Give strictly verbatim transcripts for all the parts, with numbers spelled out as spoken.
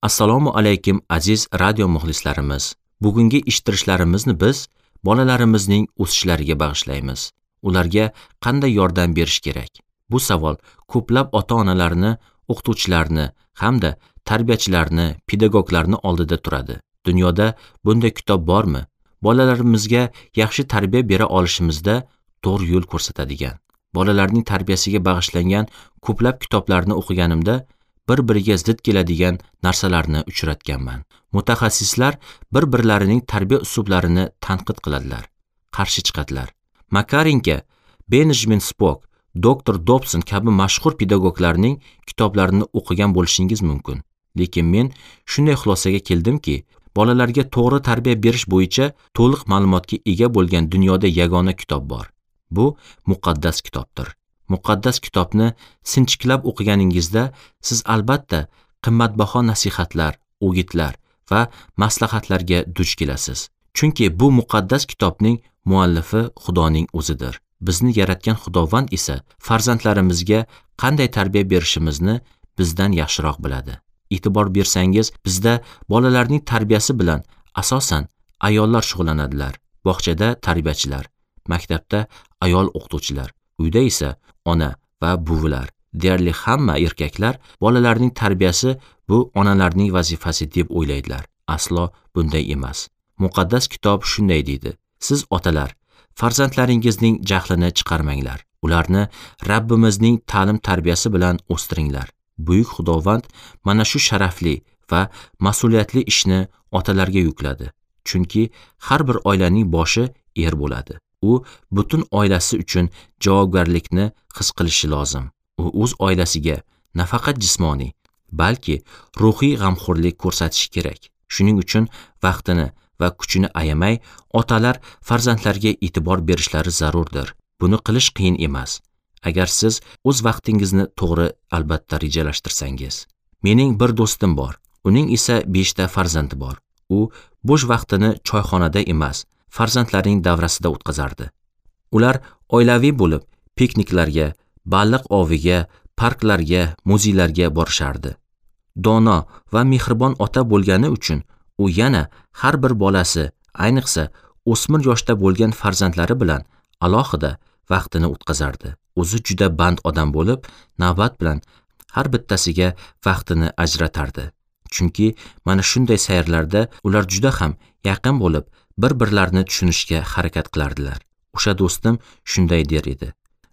Assalomu alaykum aziz radio muxlislarimiz. Bugungi eshittirishlarimizni biz bolalarimizning o'sishlariga bag'ishlaymiz. Ularga qanday yordam berish kerak? Bu savol ko'plab ota-onalarni, o'qituvchilarni hamda tarbiyachilarni, pedagoglarni oldida turadi. Dunyoda bunday kitob bormi? Bolalarimizga yaxshi tarbiya bera olishimizda to'g'ri yo'l ko'rsatadigan. Bolalarning tarbiyasiga bag'ishlangan ko'plab kitoblarni o'qiganimda bir-biriga zid keladigan narsalarni uchratganman. Mutaxassislar bir-birlarining tarbiya uslublarini tanqid qiladilar, qarshi chiqadilar. Makarenko, Benjamin Spock, doktor Dobson kabi mashhur pedagoglarning kitoblarini o'qigan bo'lishingiz mumkin. Lekin men shunday xulosaga keldimki, bolalarga to'g'ri tarbiya berish bo'yicha to'liq ma'lumotga ega bo'lgan dunyoda yagona kitob bor. Bu muqaddas kitobdir. Muqaddas kitobni sinchiklab o'qiganingizda siz albatta qimmatbaho nasihatlar, o'gitlar va maslahatlarga duch kelasiz. Chunki bu muqaddas kitobning muallifi Xudoning o'zidir. Bizni yaratgan Xudovand esa farzandlarimizga qanday tarbiya berishimizni bizdan yaxshiroq biladi. E'tibor bersangiz, bizda bolalarning tarbiyasi bilan asosan ayollar shug'ullanadilar. Bog'chada tarbiyachilar, maktabda ayol o'qituvchilar, uyda esa ona va buvilar. Deyarli hamma erkaklar bolalarning tarbiyasi bu onalarning vazifasi deb o'ylaydilar. Aslo bunday emas. Muqaddas kitob shunday deydi: Siz otalar, farzandlaringizning jahlini chiqarmanglar. Ularni Rabbimizning ta'lim tarbiyasi bilan o'stiringlar. Buyuk Xudovand mana shu sharafli va mas'uliyatli ishni otalarga yukladi. Chunki har bir oilaning boshi er bo'ladi. U butun oilasi uchun javobgarlikni his qilishi lozim. U o'z oilasiga nafaqat jismoniy, balki ruhiy g'amxo'rlik ko'rsatishi kerak. Shuning uchun vaqtini va kuchini ayamay otalar farzandlarga e'tibor berishlari zarurdir. Buni qilish qiyin emas. Agar siz o'z vaqtingizni to'g'ri albatta rejalashtirsangiz. Mening bir do'stim bor. Uning esa beshta farzandi bor. U bo'sh vaqtini choyxonada emas, farzandlarining davrasida o'tkazardi. Ular oilaviy bo'lib pikniklarga, baliq oviga, parklarga, muzeylarga borishardi. Dono va mehribon ota bo'lgani uchun u yana har bir bolasi, ayniqsa o'smir yoshda bo'lgan farzandlari bilan alohida vaqtini o'tkazardi. O'zi juda band odam bo'lib, navbat bilan har bittasiga vaqtini ajratardi. Chunki mana shunday sayrlarda ular juda ham yaqin bo'lib, bir-birlarini tushunishga harakat qilardilar. O'sha do'stim shunday der edi: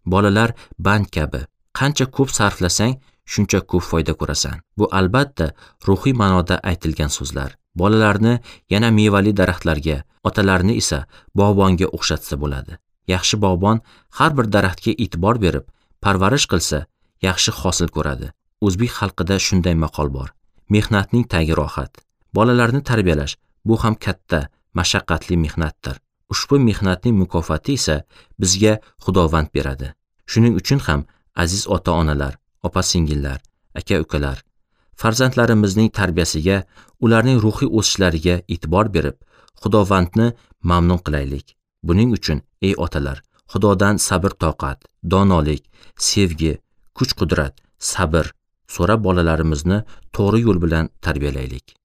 Bolalar band kabi, qancha ko'p sarflasang, shuncha ko'p foyda ko'rasan. Bu albatta ruhiy ma'noda aytilgan so'zlar. Bolalarni yana mevali daraxtlarga, otalarni esa bog'bonga o'xshatsa bo'ladi. Yaxshi bog'bon har bir daraxtga e'tibor berib, parvarish qilsa, yaxshi hosil ko'radi. O'zbek xalqida shunday maqol bor: mehnatning tagi rohat. Bolalarni tarbiyalash bu ham katta, mashaqqatli mehnatdir. Ushbu mehnatning mukofoti esa bizga Xudovand beradi. Shuning uchun ham aziz ota-onalar, opa-singillar, aka-ukalar, farzandlarimizning tarbiyasiga, ularning ruhiy o'sishlariga e'tibor berib, Xudovandni mamnun qilaylik. Buning uchun ey otalar, Xudodan sabr-toqat, donolik, sevgi, kuch-qudrat, sabr so'rab bolalarimizni to'g'ri yo'l bilan tarbiyalaylik.